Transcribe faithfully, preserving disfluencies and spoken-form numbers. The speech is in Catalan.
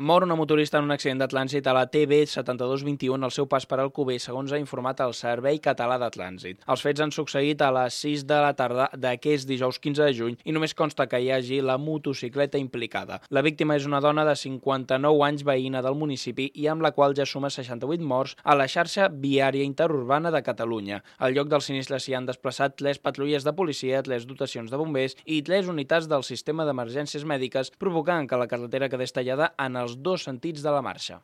Mor una motorista en un accident de trànsit a la T B setanta-dos vint-i-u al seu pas per Alcover, segons ha informat el Servei Català de Trànsit. Els fets han succeït a les sis de la tarda d'aquest dijous quinze de juny i només consta que hi hagi la motocicleta implicada. La víctima és una dona de cinquanta-nou anys, veïna del municipi i amb la qual ja suma seixanta-vuit morts a la xarxa viària interurbana de Catalunya. Al lloc del sinistre s'hi han desplaçat tres patrulles de policia, tres dotacions de bombers i tres unitats del sistema d'emergències mèdiques, provocant que la carretera quedés tallada en els dos sentits de la marxa.